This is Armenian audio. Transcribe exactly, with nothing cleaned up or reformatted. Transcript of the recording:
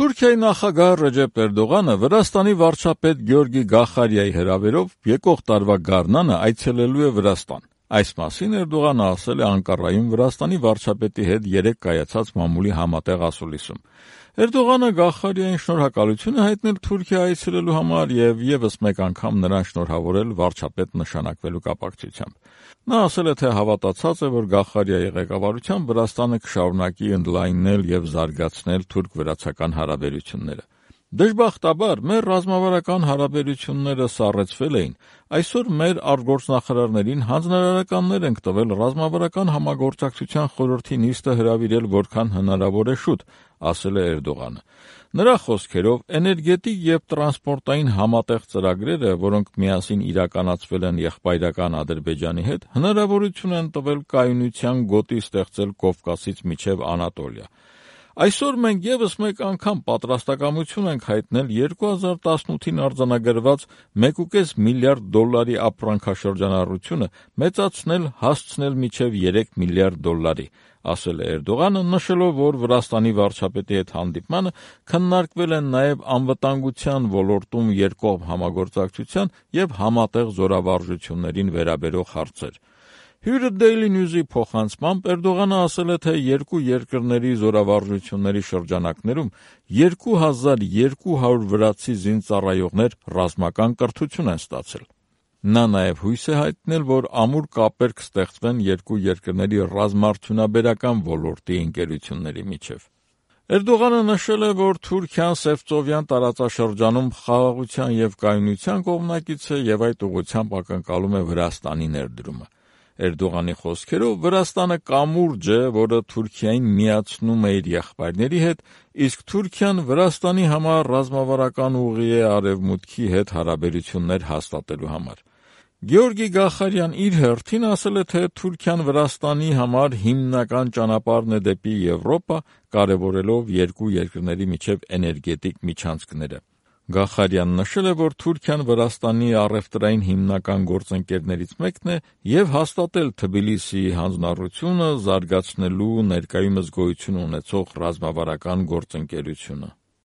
Թուրքիայի նախագահ Ռեջեփ Էրդողանը Վրաստանի վարչապետ Գեորգի Գախարիայի հրավերով եկող տարվա գարնանը այցելելու է Վրաստան։ Այս մասին Էրդողանը ասել է Անկարայում Վրաստանի վարչապետի հետ երեկ կայացած մամուլի համատեղ ասուլիսում։ Էրդողանը Գախարիային շնորհակալություն է հայտնել Թուրքիա այցելելու համար եւ եւս մեկ անգամ նրան շնորհավորել վարչապետ նշանակվելու կապակցությամբ։ Նա ասել է, թե հավատացած է, որ Գախարիայի ղեկավարությամբ Վրաստանը կշարունակի ընդլայնել եւ զարգացնել թուրք-վրացական հարաբերությունները։ Դժբախտաբար, մեր ռազմավարական հարաբերությունները սառեցվել էին, այսօր մեր արտգործնախարարներին հանձնարարականներ ենք տվել ռազմավարական համագործակցության խորհրդի նիստը հրավիրել որքան հնարավոր է շուտ, ասել է Էրդողանը։ Նրա խոսքերով, էներգետիկ եւ տրանսպորտային համատեղ ծրագրերը, որոնք միասին իրականացվել են եղբայրական Ադրբեջանի հետ, հնարավորություն են տվել կայունության գոտի ստեղծել Կովկասից մինչև Անատոլիա։ Այսօր մենք եւս մեկ անգամ պատրաստակամություն ենք հայտնել երկու հազար տասնութին արձանագրված մեկ կόμma պենս միլիարդ դոլարի ապրանքաշրջանառությունը մեծացնել հասցնել մինչև երեք միլիարդ դոլարի, ասել է Էրդողանը, նշելով, որ Վրաստանի վարչապետի հետ հանդիպմանը քննարկվել են նաև անվտանգության ոլորտում երկկողմ համագործակցության եւ համատեղ զորավարժություններին վերաբերող հարցեր։ Հյուրը Daily News-ի փոխանցմամբ Էրդողանը ասել է, թե երկու երկրների զորավարժությունների շրջանակներում երկու հազար երկու հարյուր վրացի զինծառայողներ ռազմական կրթություն են ստացել։ Նա նաև հույս է հայտնել, որ ամուր կապեր կստեղծվեն երկու երկրների ռազմաարդյունաբերական ոլորտի ընկերությունների միջև։ Էրդողանը նշել է, որ Թուրքիան Սևծովյան տարածաշրջանում խաղաղության եւ կայունության կողմնակից է եւ այդ ուղղությամբ ակնկալում է Վրաստանի ներդրումը։ Էրդողանի խոսքերով Վրաստանը կամուրջ է, որը Թուրքիային միացնում է իր եղբայրների հետ, իսկ Թուրքիան Վրաստանի համար ռազմավարական ուղի է Արևմուտքի հետ հարաբերություններ հաստատելու համար։ Գեորգի Գախարյան իր հերթին ասել է, թե Թուրքիան Վրաստանի համար հիմնական ճանապարհն է դեպի Եվրոպա, կարևորելով երկու երկրների միջև էներգետիկ միջանցքները։ Գախարյանն նշել է, որ Թուրքիան Վրաստանի առևտրային հիմնական գործընկերներից մեկն է եւ հաստատել Թբիլիսիի հանձնառությունը զարգացնելու ներկայումս գոյություն ունեցող ռազմավարական գործընկերությունը։